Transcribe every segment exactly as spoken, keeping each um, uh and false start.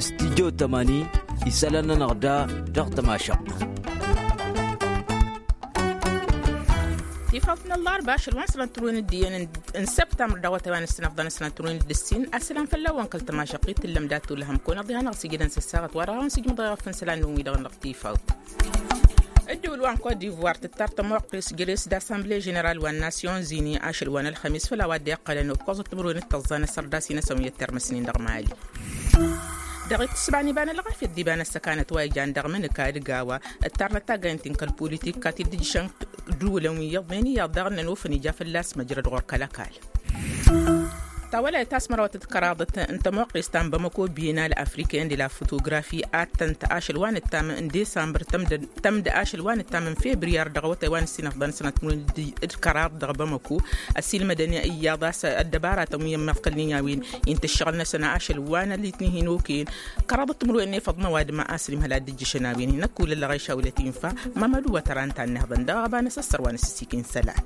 Stijjo tămani isălan-nănăɣ da dăɣ-tămašăɣt. Tifawt n-ăllarba ašăl wa n-sănătruwen d-iyyăn n-săptamr dăɣ-wătay wa n-ăssinăfḍăn n-sănătruwen d-ǝssin. Asălan fălla-wen kăl-tămašăɣt i-tǝllăm dat-ulhăm kăwăn-ăḍiha n-aɣ s-ijădăn s-ăssaɣăt wa dăɣ-a-wen s-ijmăḍ ɣef n-isălan-wen wi-dăɣ n-dăɣ tifawt. Ǝddǝwǝl wa n-kot divoir tǝttar tămoqqes jere-s d-assemble ženeral wa n-nasyon zini ašăl wa n-ălxămis făll-a-wa dd-iqqălăn ǝkkoẓăt timǝrwen d-tăẓẓa n-asărdas-i n-asăn wi ăttărmăsnen dăɣ-mali. Dăɣ-itǝssǝba n-iba n-ălɣafyăt d-iba n-ăssăkanăt wa ijan dăɣ-imǝnǝka d-gawa ǝttarnăt taggaynt-in kăl-politik kat-dd-ǝjjǝšăn ǝddǝwǝlăn wi iyyăḍnen iyyăḍ daɣ ǝnnăn ofăn ija fălla-s măjrăd ɣur-kăl-ăkall. Tawălayt ta s-mărawăt d-kăraḍăt n-tămoqqest ta n-bamăko bienal afriken de la fotografi ad-tăn-t ašăl wa n-ǝttam n-desambăr tămdăn tămd ašăl wa n-ǝttam n-febriyar dăɣ-awătay wa n-ǝssinăfḍăn sănăt d-kăraḍ dăɣ-bamăko. Ăsilmădăn iyyăḍ a-s ăddăbaratăn wi ămmiḍkălnen i-a-wen inta ǝššăɣǝl-năsăn ašăl wa n-ălitni hin-okăyăn kăraḍăt timǝrwen n-efăḍ n-ăwadǝm a-s ălimhăl ad-dd-ǝjjǝšăn a-wen hin-ăkkulăl lăɣayša wălăt infa. Mamădu wa tăra ǝnta a ǝnniihăḍăn dăɣ-aɣăba n-asăssăr wa n-asǝssikǝn isălan.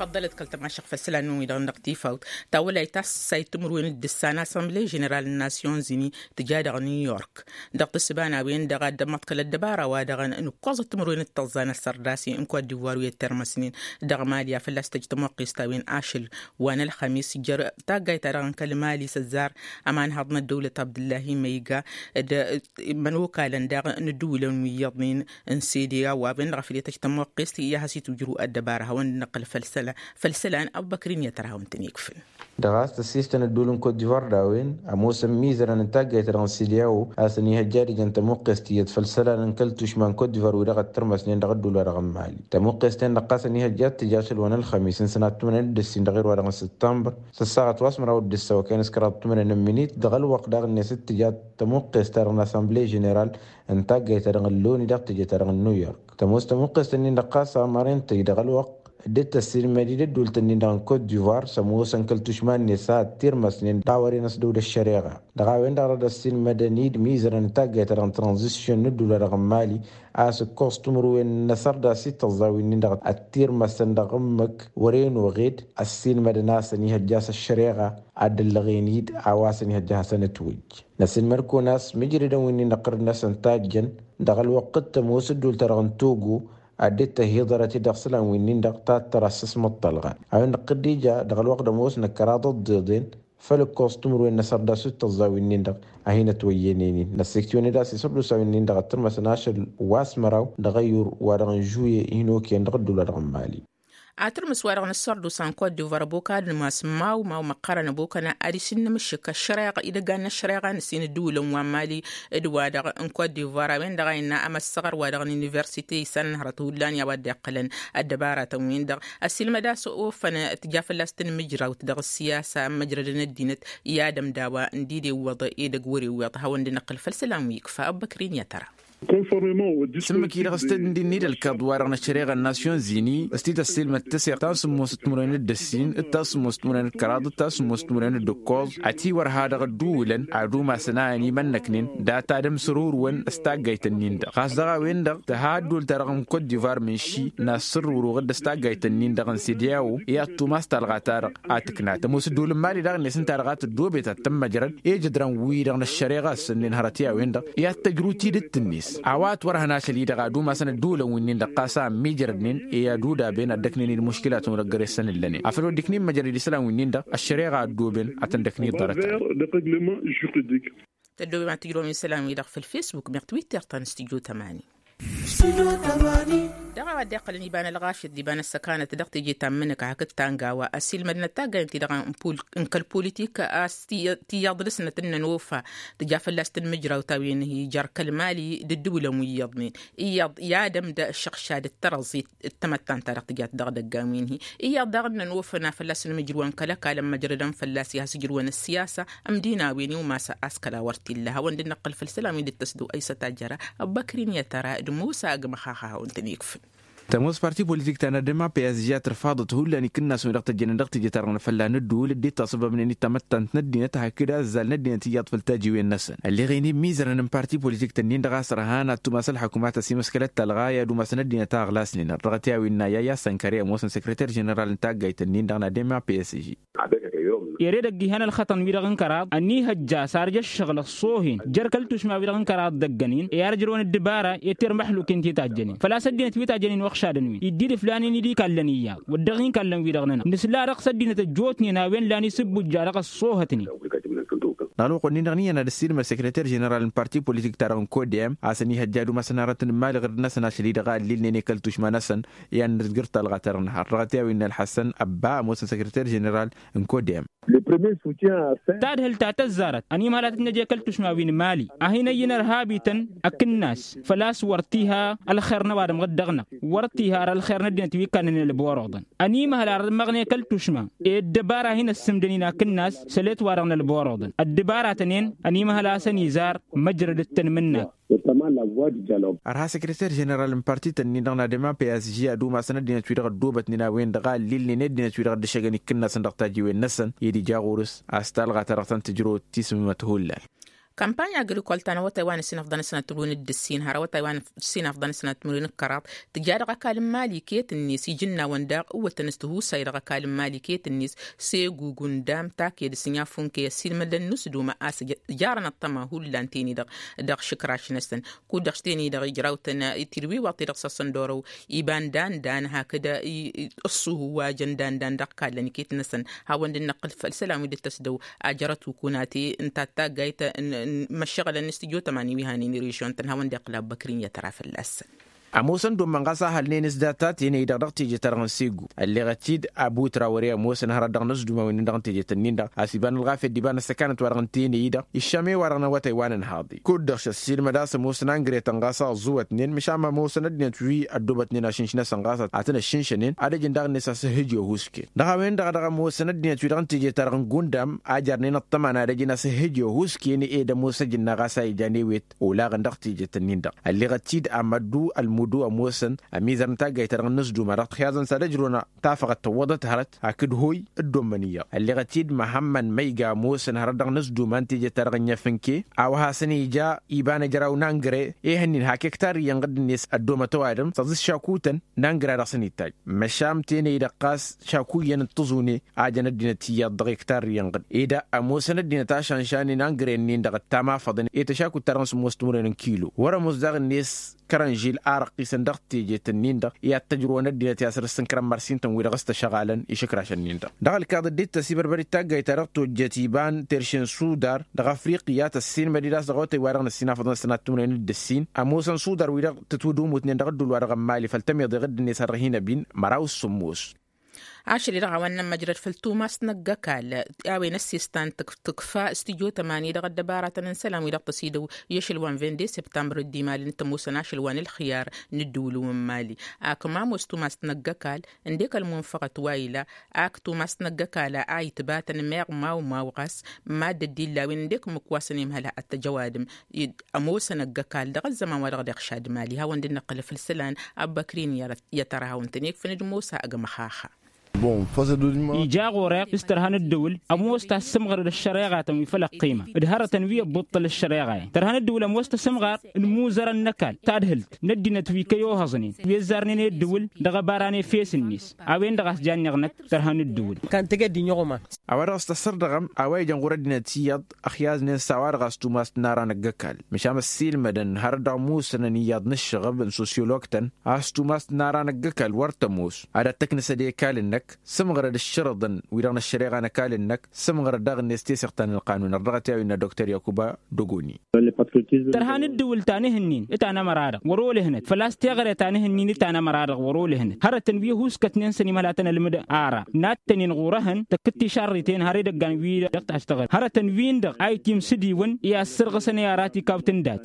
Făḍḍălăt kăl-tămašăɣt făll-isălan-nănăɣ wi-dăɣ n-dăɣ tifawt. Tawălayt ta s-sayt timǝrwen d-ǝssan assemble ženeral n-nasyon zini tǝja dăɣ-new york. Dăɣ-tǝssǝba n-a-wen-dăɣ a dd-ămmăḍkăl ăddăbara wa dăɣ-nǝkkoẓăt timǝrwen d-tăẓẓa n-asărdas i-n kot divoir wi ăttărmăsnen dăɣ-mali a fălla-s tăj tămoqqest a-wen ašăl wa n-ălxămis jer-taggayt-ta-dăɣ n-kăl-mali s-ăzzar ămanhăḍ n-ăddăwlăt abdǝllahi măyga d-imănokalăn daɣ n-ǝddǝwǝlăn wi iyyăḍnen n-sede a-wa a-wen-dăɣ a făl i-tăj tămoqqest i-ad-has-itwǝjrǝw ăddăbara hawăn-dd-năqqǝl făll-isălan. Făll-isălan ăbubăkr-in i-ad-tăr hawăn-tăn-ikfǝl. Dăɣ-a-s tăssistăn ădduul n-kot divoir d-a-wen ămoosăn imizărăn n-taggayt-ta-dăɣ n-sede a-wo a-s ănihăjja ad-ǝjăn tămuqqest tiyyăt făll-isălan n-kăl-tušma n-kot divoir wi-dăɣ ăttărmăsnen dăɣ-ădduul-wa-dăɣ n-mali. Tămuqqest-en-dăɣ ɣas ănihăjja ad-tǝj ašăl wa n-ălxămis n-sănat timǝrwen d-ǝssin dăɣ-erwa-dăɣ n-săttămbăr s-ăssaɣăt wa s-măraw d-ǝssăwăkăyăn s-kăraḍ timǝrwen n-minit dăɣ-ălwăqq daɣ-net d-tǝja tămuqqest-ta-dăɣ n-assemble ženeral n-taggayt-ta-dăɣ n-loni dăɣ-teje-ta-dăɣ n-new york. Tămoos tămuqqest-ǝnnin-dăɣ ɣas amăren tăj dăɣ-ălwăqq dd-tăssilmăd-dd ădduult-ǝnnin-dăɣ n-kot divoir s-ămoosăn kăl-tušma-net a ăttirmăsnen d-a wăren ăsdăw d-ăššăreɣa. Dăɣ-a-wen-dăɣ dăr-dd-ăssilmădăn-dd imizărăn n-taggayt-ta-dăɣ n-tranzisyon n-ădduul-wa-dăɣ n-mali a-s ǝkkoẓ timǝrwen n-asărdas i-tăẓẓa wi-nin-dăɣ ăttirmăsăn dăɣ-ǝmmǝk wăren oɣed ăssilmădăn a-s ănihăjja a-s ăššăreɣa ad-dd-ăllăɣen-dd a-wa s-ănihăjja ad-hasăn-ătwăjj. Năsǝlmăd-kăwăn a-s mǝjrădăn wi-nin-dăɣ ɣur-năsăn tajjăn dăɣ-ălwăqq d-tămoos ădduult-ta-dăɣ n-togo ad-dd-tăhiḍărăt-dd dăɣ-isălan wi-nin-dăɣ tattăr assăs măṭṭălɣa a-wen-dăɣ tădd-ija dăɣ-ălwăqq d-ămoosnăt kăraḍăt d-iḍen făll-ǝkkoẓ timǝrwen n-asărdas wi t-tăẓẓa wi-nin-dăɣ a hin-ătwăyyănen-in năssiktǝwăn-dd a-s isǝrdusa wi-nin-dăɣ ăttărmăsăn ašăl wa s-măraw dăɣ-ăyyur wa dăɣ-n žuye hin-okăyăn dăɣ-ădduul wa dăɣ-n mali. Ad-tǝrmǝs wa-dăɣ n-ăssărdusa n-kot divoir ăbokad n-imas n-mawmaw măqqărăn ăbokăna ad-isǝnnǝmǝššǝk ăššăreɣa idăggan n-ăššăreɣa n-ǝssin ǝddǝwǝlăn wa n-mali d-wa-dăɣ n-kot divoir a-wen-dăɣ a innă amăssăɣăr wa dăɣ-n universite isănnăhrăt hullan i-a-wa dd-iqqălăn ăddăbaratăn-win-dăɣ ăsilmăd a-s ofăn tǝja fălla-s tǝnmǝjrawt dăɣ-ăssiyasa n-măjrădăn ăddinăt i-ad-ămdawa n-dd-iwwăḍ edăgg wăr-iwwăḍ hawăn-dd-năqqǝl făll-isălan wi ikfa ăbbăkrin i-ad-tăra. S-ǝmmǝk-i-dăɣ s-tădd-ǝndin n-dd-ălkaḍ-wa-dăɣ n-ăššăreɣa n-nasyon zini s-t-dd-ăssiilmăd tăseɣt ta n-sǝmmos timǝrwen d-ǝssin d-ta n-sǝmmos timǝrwen d-kăraḍ d-ta n-sǝmmos timǝrwen d-ǝkkoẓ ătiwărha dăɣ-ădduulăn ad-umasăn a ănimănnăknen data d-ămsărurǝwăn s-taggayt-ǝnnin-dăɣ ɣas dăɣ-a-wen-dăɣ tǝha ădduul-ta-dăɣ n-kot divar mǝnši n-assǝrrǝwrǝw d-s-taggayt-ǝnnin-dăɣ n-sede a-wo i-ad-tumas talɣa-ta-dăɣ a tǝkna tămoos ădduul n-mali daɣ-net ǝnta-dăɣ a tăddoobet ad-tăn-măjrăd ejădran-wi-dăɣ n-ăššăreɣa a ǝssǝnnen hărăt i-a-wen-dăɣ i-ad-tăjrǝw tidǝt-net a-wa ătwărhăn ašăl-i-dăɣ ad-umasăn ădduulăn wi-nin-dăɣ ɣas a ămmiijrădnen i-ad-udaben ad-dăknen-dd muškilatăn wăr ăggăresăn ǝllănen afăl wăr dd-ikna immăjrăd isălan wi-nin-dăɣ ăššăreɣa a ăddooben ad-tăn-dăkna iḍarăt. Tăddoobem ad-tǝjrǝwăm isălan-wi-dăɣ făll-facebook meɣ twitter ta n-studyo tămani. Dăɣ-a-wa dd-iqqălăn iba n-ălɣafyăt d-iba n-ăssăkanăt dăɣ-teje ta n-imǝnǝka hakd ta n-gawa ăsilmădnăt taggaynt-ti-dăɣ n-kăl-politik a-s tiyyăḍ dăr-snăt ǝnnăn ofa tǝja fălla-s tǝnmǝjrawt a-wen-hi jer-kăl-mali d-ǝddǝwǝlăn wi iyyăḍnen iyyăḍ i-ad-ămdă ăššăɣšad d-tărăẓit d-tamăttant-ta-dăɣ tǝjat dăɣ-idăggan wi n-hi iyyăḍ daɣ ǝnnăn ofăn a fălla-s ǝnmǝjrǝwăn kăl-ăkall ămmăjrădăn fălla-s i-has-ǝjrǝwăn ăssiyasa ămdin a-wen iwmas a-s kăla wăr t-illa hawăn-dd-năqqǝl făll-isălan wi dd-tăsdăw ăysăt ajăra ăbbăkrin i-ad-tăra d-musa agmăxaxa hawăn-tăn-ikfǝl. Tămoos parti politik ta n-ad-m a p s ija tărfaḍăt hullan ikǝnnas-wen dăɣ-tăjjănen dăɣ-teje-ta-dăɣ n-afălla n-ǝddǝwǝl dd-itasăbăbnen i-tamăttant n-ăddinăt hakd azzal n-ăddinăt iyyăḍ făll-tajiwen-năsăn ălleɣ-en imizărăn n-parti politik-tăn-in-dăɣ a-s ărhan ad-tumas ălḥăkumat ăsimăskălăt talɣa i-ad-umasăn ăddinăt a ăɣlasnen ărdăɣăt i-a-wen n-aya i-asănkăre ămoosăn săkrăter ženeral n-taggayt-nin-dăɣ n-ad-m a p s j. Ere edăgg ihăn ălxăṭăn-wi-dăɣ n-kăraḍ ănihăjja s-arjă ǝššăɣǝl ăṣṣoohen jer-kăl-tušma-wi-dăɣ n-kăraḍ dăgg-ănnin i-ad-ǝjrăwăn ăddǝbara i-tirmăḥluken ti tajjănen făl-a-s ăddinăt wi tajjănen uɣšadăn-win iddi-dd ǝflanen-dd ikallăn iyyăḍ wăr dăɣ-inkallăn-wi-dăɣ-nănăɣ nǝsla dăɣ-s ăddinăt ăjjootnen a-wen lan isǝbbujja dăɣ-ăṣṣoohătnen. Dăɣ-alwăqq-wǝnnin-dăɣ n-iyyăn ad-ăssiilmăd sekreter ženeral n-parti politik-ta-dăɣ n-kodem a-s ănihăjja ad-umasăn hărăt n-imali ɣǝrǝd-năsăn ašăl-i-dăɣ a ǝllilnen i-kăl-tušma-năsăn i-ad-nǝzgǝr talɣa-ta-dăɣ n-har dăɣ-t i-a-wen n-ălḥăssăn ăbba ămoosăn sekreter ženeral n-kodem. Tadhǝlt ta tăzzarăt ănimhăl ad-tǝtnăj i-kăl-tušma wi n-imali a hin-ăyy n-ărhabităn akǝnnas făl-a-s wăr t-iha ălxer n-ăwadǝm ɣǝd-dăɣ-năɣ wăr t-iha ar ălxer n-ăddinăt wi ǝkkannăn ălboroḍăn. Ănimhăl ar ămmăɣnen kăl-tušma i-ăddăbara a hin-ăssǝmdănin akǝnnas sălet-wa-dăɣ n-ălboroḍăn ăddăbaratăn-en ănimhăl a-s ănizar măjrăd d-tanmǝnnat. Ărha sekreter ženeral n-parti-tăn-in-dăɣ n-adăma psg ad-umasăn ăddinăt-wi-dăɣ ăddoobătnen a-wen-dăɣ a ǝllilnen i-ăddinăt-wi-dăɣ dd-ǝššăgăn ikǝnnasăn dăɣ-tajiwen-năsăn ed ija ɣur-s a-s talɣa-ta-dăɣ tăn-tǝjrăwăt tisǝmmămăt hullan. Kampanya agrikol ta n-awătay wa n-ǝssin afḍăn ǝsnat timǝrwen d-ǝssin har awătay wa n-ǝssin afḍăn ǝsnat timǝrwen d-kăraḍ tǝja dăɣ-ăkall n-imali iket-net ijǝnnawăn daɣ ǝwwătăn s-tihusay dăɣ-ăkall n-imali iket-net s-egugu n-dam taked s-inyafunkey ăssiilmădăn n-usduma a-s jarăn ăṭṭăma hullan teni-dăɣ dăɣ-išǝkraš-năsăn kud-dăɣ s-teni-dăɣ ijrawtăn tirwiwaḍ-ti-dăɣ s-asăn d-orăw iba n-dandan hakd ǝṣṣuhu wa jăn dandan dăɣ-kallăn iket-năsăn hawăn-dd-năqqǝl făll-isălan wi dd-tăsdăw ajărăt ukunate n-tattaggayt n-măššăɣǝlăn n-studyo tămani wi hanen režion-tăn hawăn-dd-iqqǝl abbăkrin i-ad-tăra fălla-săn. Ămoosăn dd-ommăn ɣas a hălnen s-data tenăy-dăɣ dăɣ-teje-ta-dăɣ n-segu ălleɣăt-dd abu trawăre ămoosăn hărăt dăɣ-inǝzzǝduma wi-nin-dăɣ n-teje-tăn-in-dăɣ a-s iba n-ălɣafyăt d-iba n-ăssăkanăt-wa-dăɣ n-tenăy-i-dăɣ iššam i-wa-dăɣ n-awătay wa n-ănhaḍ-i kud-dăɣ šăssiilmăd a-s ămoosăn angre-tăn ɣas a ăẓẓuwătnen măšan ma ămoosăn ăddinăt wi ăddoobătnen ašǝnš-năsăn ɣas a tăn-ăššǝnšănen ad-ăjǝn daɣ-net a-s ǝhhǝj i-ohusken. Dăɣ-a-wen-dăɣ a dăɣ-ămoosăn ăddinăt wi-dăɣ n-teje-ta-dăɣ n-gundam a jarnen ăṭṭăma n-ad-ăjǝn a-s ǝhhǝj i-ohusken ed ămoos ăjǝnna ɣas a ijan ewet olaɣăn dăɣ-teje-tăn-in-dăɣ ălleɣăt-dd amăddu ălmudu ămoosăn ămizăr n-taggayt-ta-dăɣ n-inǝzduma dăɣ-tixyaẓăn s-ad-ăjrăwăn tafăɣăt tăwwăḍăt hărăt hakd hoy dd-ommăn iyyăḍ ălleɣăt-dd măhămmăn ma iga ămoosăn hărăt dăɣ-inǝzduma n-teje-ta-dăɣ n-inyăfǝnke a-wa hasăn-ija iba n-ejăraw n-angre ehăn-in hak ektar iyyăn ɣǝdd-net ăddoomăt ăwadǝm s-aẓǝs šakutăn n-angre a dăɣ-săn-ittaj măšan tenăy-dăɣ ɣas šakuyyăn n-tǝẓune a jăn ăddinăt iyyăḍ dăɣ-ektar iyyăn ɣǝdd ed ămoosăn ăddinăt ašanšanen angre-nin-dăɣ ăttam afăḍăn i-tăšakut-ta-dăɣ n-sămoos timǝrwen n-kilo wăr-ămoos daɣ-net kărănžil a răqqisăn dăɣ-tejet-nin-dăɣ i-ad-tăjrǝwăn ăddinăt i-asrǝs n-kărăn mărsin-tăn wi-dăɣ s-tăšăɣalăn išǝkrašăn-nin-dăɣ dăɣ-ălkaḍăt dd-tăsibărbăr d-taggayt ta dăɣ-tojjăt iba n-terše n-sudar dăɣ-afriqya tăssiilmăd-dd a-s dăɣ-awătay wa dăɣ-năssin afăḍăn sănat timǝrwen d-ǝssin ămoosăn sudar wi-dăɣ tǝtwǝdumutnen dăɣ-ăddul wa dăɣ-ămmali făll-tămiḍe ɣǝdd-net a dăɣ-hin-ăbin măraw s-sǝmmos. Ašăl-i-dăɣ a-wa n-nămmăjrăd făll-tumas n-ăgg-ăkall a-wen ăssestan tǝkfa studyo tămani dăɣ-ăddăbaratăn n-isălan-wi-dăɣ tăsidăw i-ašăl wa n-vinde septămbăr dd-imalăn t-ămoosăn ašăl wa n-ălxiyar n-ǝddǝwǝl n-imali. Ak ma ămoos tumas n-ăgg-ăkall ǝndek ălmunfăɣăt wa ila ak tumas n-ăgg-ăkall a itbatăn meɣ maw-maw ɣas madd-dd-illa a-wen ǝndek ǝmmǝk wa s-ănimhăl ad-t-ăj ăwadǝm ămoosăn ăgg-ăkall dăɣ-ăzzăman wa dăɣ-dd-iɣšad mali hawăn-dd-năqqǝl făll-isălan. Abbăkrin i-ad-tărhawăn-tăn ikfăn d-mosa ăgg măxaxa. Ija ɣur-e s-tărha n-ǝddǝwǝl ămoos tassǝmɣăr d-ăššăreɣa-tăn wi făll-ăqqima d-hărătăn wi ăbbuṭṭăl ăššăreɣa-en tărha n-ǝddǝwǝl ămoos tasǝmɣăr n-imuzărăn n-ăkall tadhǝlt n-ăddinăt wi kăy-ohăẓnen wi ăzzarnen i-ǝddǝwǝl dăɣ-ăbara n-efes-net. A-wen-dăɣ a-s janneɣ năkk tărha n-ǝddǝwǝl. A-wa dăɣ-s tăssărdăɣăm a-wa ijăn ɣur-ăddinăt iyyăḍ ăxyaẓnen s-a-wa-dăɣ a-s tumas n-ara n-ăgg-ăkall măšan ăssiilmădăn hărăt dăɣ-musănăn iyyăḍ n-ǝššăɣǝb n-sosyolog-tăn a-s tumas n-ara n-ăgg-ăkall wăr tămoos ad-ăttăknăsăd i-ekall-năk sǝmɣărăd ǝššărǝḍăn wi-dăɣ n-ăššăreɣa n-ăkall-năk sǝmɣărăd daɣ-net teseɣt ta n-ălqanun ărdăɣăt i-a-wi innă dokter yakuba dogoni. Tărha n-ǝddǝwǝl ta n-ihǝnnin ǝta n-ămăra-dăɣ wăr-olăhnăt făl-a-s teɣăre ta n-ihǝnnin ǝta n-ămăra-dăɣ wăr-olăhnăt hărătăn wi ăhuuskătnen s-ănimhăl a tăn-ălmǝd ara nattănen ɣur-ehăn tăkk-t tišarriten har edăggan wi-dăɣ taštăɣăl hărătăn-win-dăɣ a itimsǝdiwăn i-assărɣǝsăn i-arat ikawt n-dat.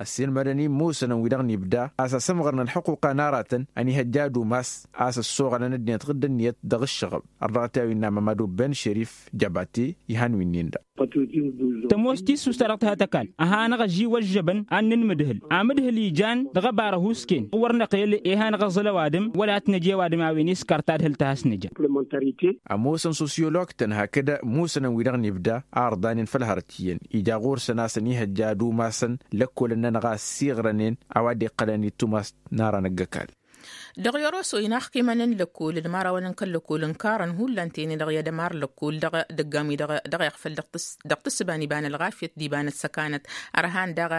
Ăssiilmădăn imusănăn wi-dăɣ n-ibda a-s ăsǝmɣărăn ălxuquqa n-aratăn ănihăjja ad-umas a-s ăssoɣălăn ăddinăt ɣǝdd ǝnniyăt dăɣ-ǝššăɣăb. Ărdăɣăt i-a-wi innă mămădu ben šerif jăbate ihan wi-nin-dăɣ. Tămoos tissust ta dăɣ-tǝhăt ăkall a hanăɣ-ăžiwăžžăbăn ad-nǝnmǝdhǝl amǝdhǝl ijan dăɣ-ăbar ăhuusken wăr năqel i-hanăɣ-ăẓǝl ăwadǝm wăla t-năj i-ăwadǝm a-wen iskar tadhǝlt a has-nǝja. Ămoosăn sosyolog-tăn hakd musănăn wi-dăɣ n-ibda a ărḍanen făll-hărăt iyyăn ija ɣur-săn a-s ănihăjja ad-umasăn lăkkolăn-nănăɣ a ăssiiɣrănen a-wa dd-iqqălăn i-tumast n-ara n-ăgg-ăkall. Dăɣ-yoroso inaxkimăn n-lăkkol d-imărawăn n-kăl-lăkkol ǝnkarăn hullan tene dăɣ-i ad-ămar lăkkol dăɣ-dăgg-ami dăɣ-iɣfăl dăɣ-tǝssǝba n-iba n-ălɣafyăt d-iba n-ăssăkanăt ărhan daɣ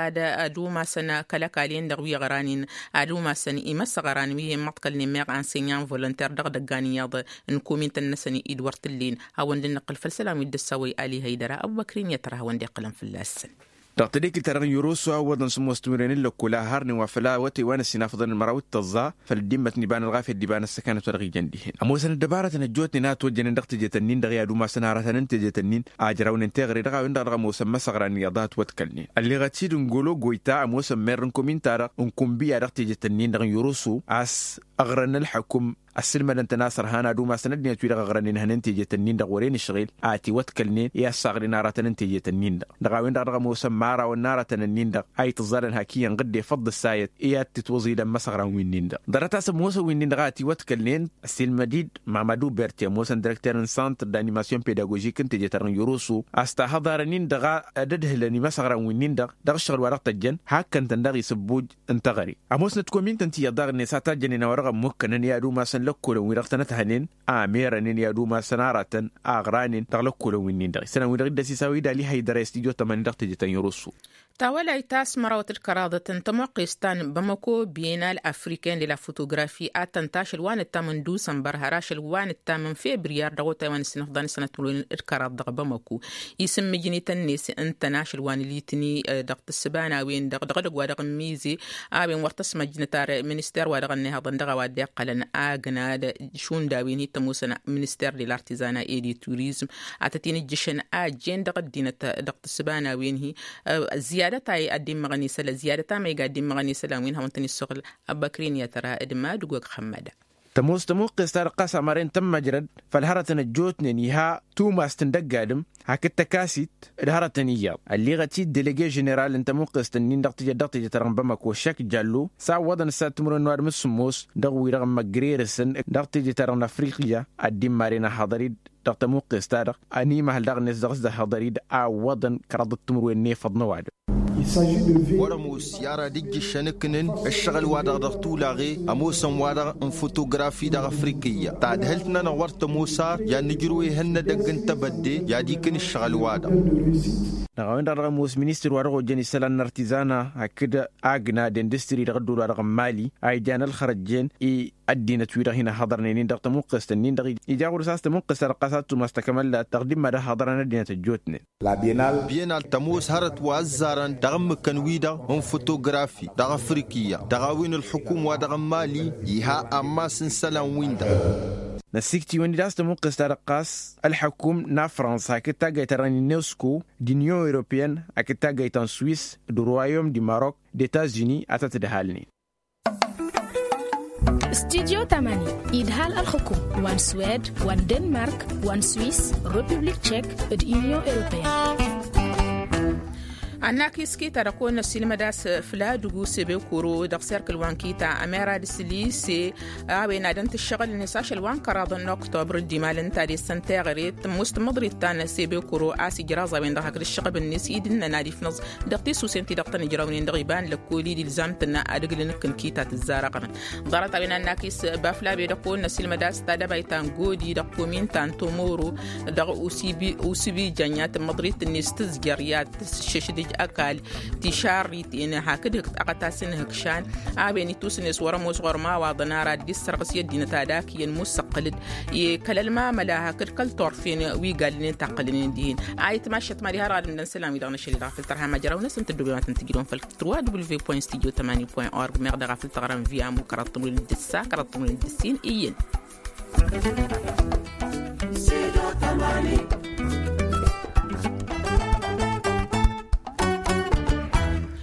ad-umasăn kăl-ăkall-en-dăɣ wi ăɣranen ad-umasăn imăsăɣran wi hin-măḍkălnen meɣ ansenyan volonter dăɣ-idăggan iyyăḍ n-komintăn-năsăn i-dd-wăr t-ǝllen. Hawăn-dd-nǝqqǝl făll-isălan wi dd-ăssawăy ali hăydăra ăbubăkrin i-ad-tărha hawăn-dd-iqqǝlăn fălla-săn. Dăɣ-tedekit-ta-dăɣ n-yoroso a ǝwwăḍăn sǝmmos timǝrwen n-lăkkol a harnen wa făl a wăte wa n-ăssinafăḍăn n-măraw d-tăẓẓa făll-dd-immăt n-iba n-ălɣafyăt d-iba n-ăssăkanăt wa dăɣ-ijăn dihen ămoosăn ăddăbarătăn ăjjootnen a ătwăjjănen dăɣ-tejetăn-in-dăɣ i-ad-umasăn aratăn n-tejetăn-in a ǝjrawnen teɣăre dăɣ-a-wen-dăɣ dăɣ-ămoosăn imăsăɣran iyyăḍ a ătwăḍkălnen. Ălleɣăt-dd n-golo goyta ămoosăn merr n-komin-ta-dăɣ n-kunbǝya dăɣ-tejetăn-in-dăɣ n-yoroso a-s ăɣrăn ălḥăkum ăssǝlmădăn-tăn a-s ărhan ad-umasăn ăddinăt-wi-dăɣ ăɣrănen ihănen tejetăn-in-dăɣ wăren ǝšɣel a ătiwăḍkălnen i-ad-saɣnen aratăn n-tejetăn-in-dăɣ dăɣ-a-wen-dăɣ dăɣ-ămoosăn imărawăn n-aratăn-nin-dăɣ a itǝẓẓalăn hak iyyăn ɣǝdde făḍ d-ăssayăt i-ad-tǝtwăẓilăn imăsăɣran wi-nin-dăɣ. Ḍarăt-as ămoosăn wi-nin-dăɣ a ătiwăḍkălnen ăssiilmăd-dd mamadu berti ămoosăn direkter n-santr d-animasyon pedagožik n-teje-ta-dăɣ n-yoroso a-s tahăḍarăn-in-dăɣ ad-ădhǝlăn imăsăɣran wi-nin-dăɣ dăɣ-ǝššăɣǝl wa dăɣ-tăjjăn hakkăn-tăn daɣ isǝbbuj n-teɣăre. Ămoosnăt komintăn ti iyyăḍ daɣ-net a tajjănen a-wa dăɣ-ămmukkănăn i-ad-umasăn lăkkolăn wi dăɣ-tănăt-hănen a merănen i-ad-umasăn aratăn a ăɣranen dăɣ-lăkkolăn wi-nin-dăɣ isălan-wi-dăɣ dd-ăsisawăy d-ali hăydăra i-stujo tămani dăɣ-teje ta n-yorosso. Tawălayt ta s-mărawăt d-kăraḍăt n-tămoqqest ta n-bamako bienal africain de la photographie a tăn-tašăl wa n-ǝttam n-dusănbăr har ašăl wa n-ǝttam n-febriyar dăɣ-otay wa n-ǝssinăfḍan sănăt timǝrwen d-kăraḍ dăɣ-bamako. Isǝmmǝjnităn-net ǝnta n-ašăl wa n-litni dăɣ-tǝssǝba n-a-wen-dăɣ dăɣ-edăgg wa dăɣ-n mize a-wen wăr tăsmăjnăt ar minister wa dăɣ-ănnihăḍăn dăɣ-a-wa dd-iqqălăn agna d-šund a-wen hi-tămoosăn minister de lartizana e de turizm. Atăt-in ǝjjǝšăn a ăjjeen dăɣ-ăddinăt dăɣ-tǝssǝba n-a-wen hi-ziyadăt a dd-immăɣăn isălan ziyadăt a măyga a dd-immăɣăn isălan wi n-hawăn-tăn-issăɣǝl. Ăbbăkren i-ad-tăra d-madugog hămmăda. Tămoos tămuqqest-ta-dăɣ ɣas amăren tămmăjrăd făll-hărătăn ăjjootnen iha tumast n-dăgg-adǝm hakd tăkasit d-hărătăn iyyăḍ. Ălliɣăt-dd delege ženeral n-tămuqqest-nin dăɣ-teje-ta-dăɣ n-bamako šek jallo s-a ǝwwăḍăn ǝssan timǝrwen n-ăwadǝm s-sǝmmos dăɣ-wi-dăɣ n-măgrerăsăn dăɣ-teje-ta-dăɣ n-afriqya. Ad-dd-immaren a haḍăr-dd dăɣ-tămuqqest-ta-dăɣ ănimăhăl daɣ-net dăɣ-s dd-ăhhăḍăr-dd a ǝwwăḍăn kăraḍăt timǝrwen n-efăḍ n-ăwadǝm. Wăr-ămoos i-ara d-ǝjjǝššăn ǝknǝn ǝššăɣǝl-wa-dăɣ dăɣ-tulaɣe ămoosăn-wa-dăɣ n-fotografi dăɣ-afrikǝyya tadhǝlt-nănăɣ wăr tămoos ar i-ad-nǝjrǝw ehăn n-edăgg n-tebădde i-ad-ikǝn ǝššăɣǝl-wa-dăɣ. Dăɣ-a-wen-dăɣ dăɣ-ămoos ministăr wa dăɣ-ojjăn isălan n-artizana hakd agna d-industri dăɣ-ăddol wa dăɣ-n mali a ijan ălxărăjjen i-ăddinăt-wi-dăɣ hin-ăhhăḍărnen-in dăɣ-tămuqqest-nin-dăɣ. Ija ɣur-s a-s tămuqqest ta dăɣ-ɣas ad-tumas takămăllat dăɣ-dimma d-ăhhăḍărăn ăddinăt ăjjootnen. Bienal tămoos hărăt wa ăzzarăn dăɣ-ǝmmǝkăn-wi-dăɣ n-fotografi dăɣ-afrikǝyya dăɣ-a-wen ǝlxǝkum wa dăɣ-n mali iha ammas n-isălan-win-dăɣ. Năssikt'-iwăn-dd a-s tămuqqest ta dăɣ-ɣas ălxǝkum n-afrans hakd taggayt ta dăɣ-n unesco d-unyon europeyăn hakd taggayt ta n-suisse d-royaume du maroc d-etats-unis a tăt-dd-halnen. Studyo tamani idhal ălxǝkum wa n-suwed wa n-denmark wa n-suwis republik tchek d-unyon europeyăn. Annak iskita dăɣ-kăwăn-năsilmăd a-s fladugu sebekoro dăɣ-serkǝl wa n-kita ămerad s-lise a-wen ad-ǝnta ǝššăɣǝl-net ašăl wa n-kăraḍăn n-oktobr d-imal ǝnta ad-essăn teɣăre tămmus tǝmmăḍrit ta n-sebekoro a-s ijraẓ a-wen-dăɣ hakd ǝššăɣǝb-net i-dd-innăn ad-ifnăẓ dăɣ-tisusen ti-dăɣ tăn-ǝjrăwnen dăɣ-iba n-lăkkol-i d-ilzam-tǝnna ad-ǝglǝn ǝkkǝn kita tǝzzarăɣnen. Ḍarăt a-wen a n-akis baflabe dăɣ-kăwăn-năsilmăd a-s tadăbayt ta n-godi dăɣ-komin ta n-tomoro dăɣ-usǝbi jănn i-ad-tǝmmăḍrit-net tǝzjăr i-ad-tǝššǝšdǝj ăkall tišarriten hakd hǝkt ăɣătas n-hǝkšan a-wen ittus-net wăr-ămoos ɣur-imawaḍăn ara dd-issărɣǝs i-ăddinăt ad-ak iyyăn musăqqǝl-dd i-kăl-ălmamăla hakd kăl-turfen wi gallănen taqqǝlnen dihen. A itmašăt mad-iha dăɣ-ad-ǝmdăn isălan-wi-dăɣ n-ašăl-i dăɣ-afăl tărha majăraw-năsăn tăddoben wa tăn-tǝjrǝwăn făll-trois w point studio tămani point org meɣ dăɣ-afăl tăɣrăm via mukăraḍ tămwil n-dăssa kăraḍ tămwil n-dăssin iyyăn.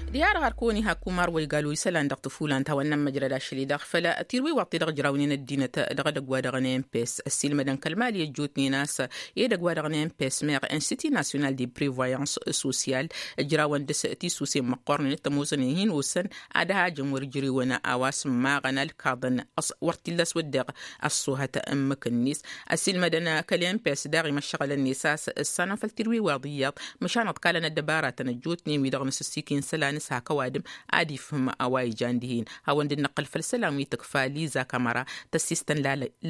Diha-dăɣ ar kăwăn-iha kumar wa igal wa isălan dăɣ-tǝfulan ta wa n-nămmăjrăd ašăl-i-dăɣ făll-a tirwiwaḍt-i-dăɣ ǝjrawnen ăddinăt dăɣ-edăgg wa dăɣ-n mpes ăssiilmădăn kăl-mali ăjjootnen a-s edăgg wa dăɣ-n mpes meɣ institut national de prevoyance sociale ǝjrawăn dăɣ-s tisusen măqqornen d-tămoosăn hin-osăn ad-hajăn wăr-ǝjrewăn a-wa s-ǝmmaɣăn ălkaḍăn wăr t-illa a-s wădden ăṣṣuhăt ǝmmǝk-net. Ăssiilmădăn kăl-mpes daɣ imăššăɣǝl-net a-s ǝssanăn făll-tirwiwaḍ iyyăḍ măšan ăḍkalăn ăddăbaratăn ăjjootnen wi-dăɣ n-asǝssiken isălan s-hak ăwadǝm ad-ifhǝm a-wa ijan dihen. Hawăn-dd-năqqǝl făll-isălan wi tǝkfa liza kamăra tăssistăn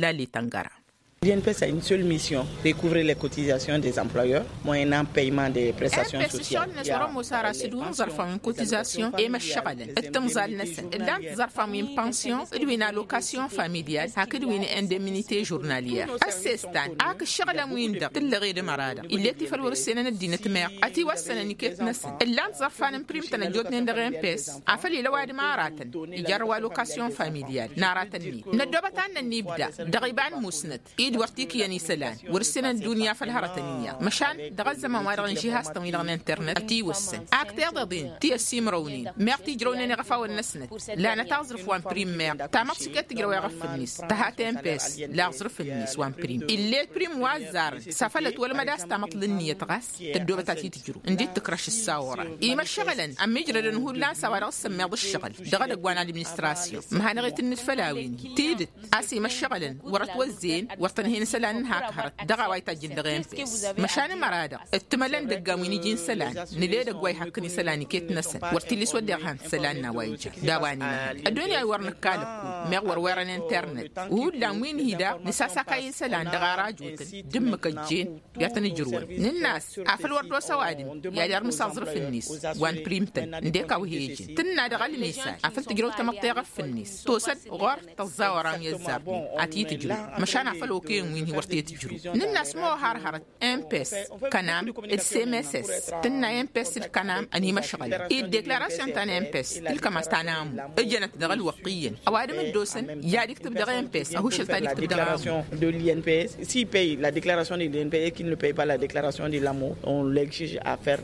lale tăngăra. Lien pes a une seule mission, recouvrer les cotisations des employeurs moyennant paiement des prestations sociales. Ămoos ara s-dd-wǝnẓărfan wi n-kotizasyon i-măššăɣălăn d-timẓal-năsăn ǝllan tiẓărfan wi n-pansyon d-wi n-alokasyon familial hakd wi n-indemnite žurnalyer. Ăssestan ak ǝššăɣǝlăn-win-dăɣ tǝllăɣed ămăra-dăɣ ill'-e tifăl wăr-ǝssenăn ăddinăt meɣ ătiwăssănăn iket-năsăn ǝllan tiẓărfan n-primtăn ăjjootnen dăɣ-empes. Afăl ila ăwadǝm aratăn ijarrăw alokasyon familial n-aratăn-net. Năddoobăt ad-nănnibda dăɣ-iba n-musnăt i-dd wăr t-ikǝyăn isălan wăr-ǝssenăn ăddunya făll-hărătăn iyyăḍ măšan dăɣ-ăzzăman-wa-dăɣ n-žihastăn-wi-dăɣ n-internet ătiwăssăn. Ak tiḍeḍen ti ăsimrăwnen meɣ tijrăwnen iɣăfawăn-năsnăt lanăt aẓrǝf wa n-prim meɣ. Tamăḍt s-iket tǝjrăw iɣăf-net tăhat empes la aẓrǝf-net wa n-prim ill'-e prim wa ăzzarăn s-afăl ătwălmăd a-s tamăḍt l-ǝnniyăt ɣas tăddoobăt ad-t-tǝjrǝw ǝndi d-tǝkrăš ǝssa oran. Imăššăɣǝlăn ămmiijrădăn hullan s-a-wa-dăɣ s-sămmeḍ ǝššăɣǝl dăɣ-edăgg wa n-administrasyon. Măhanăɣ-itǝnnǝd făll-a-wen tidǝt a-s imăššăɣǝlăn wărăt wăzzeen wăr tăn-hen isălan n-hak hărăt dăɣ-a-wa itajjǝn dăɣ-empes. Măšan ămăra-dăɣ ǝttǝmălăn dăggan wi n-iji n-isălan nǝla edăgg wa ihakkăn isălan iket-năsăn wăr t-illa s-wădden ad-han isălan n-a-wa ijan. D-a-wa n-imăhăn ăddunya wi wăr nǝkkalăkku meɣ wăr werăn internet. Hullan wi n-hi-daɣ nǝsasakay isălan dăɣ-ara ăjutăn d-ǝmmǝk ăjjeen i-ad-tăn-ǝjrǝwăn. Nǝnn'-as afăl wăr d-osa ăwadǝm i-ad-irmǝs aẓrǝf-net wa n-primtăn ǝndek a-wa he-ijăn tǝnna dăɣ-ălmisan afăl tǝjrăw tamăḍt i-iɣăf-net tosă-dd ɣur-tăẓẓa oram i-ăzzarnen ad-t-tǝjrǝw. Măšan afăl okăyăn wi n-hi wăr t-tǝjrǝw nǝnn'-as ma oha ărhărăt empes kănam d-semeses. Tǝnna empes d-kănam ănimăšɣălăn i-dd deklarasyon ta n-empes tǝlkăm a-s ta n-amu ǝjănăt dăɣ-ălwăqq iyyăn ăwadǝm dd-osăn i-ad-iktǝb dăɣ-empes ăhušăl ta d-iktǝb dăɣ-amu. De l'imps s'il paie la déclaration de l'imps et qu'il ne paie pas la déclaration de l'amour on l'exige à faire.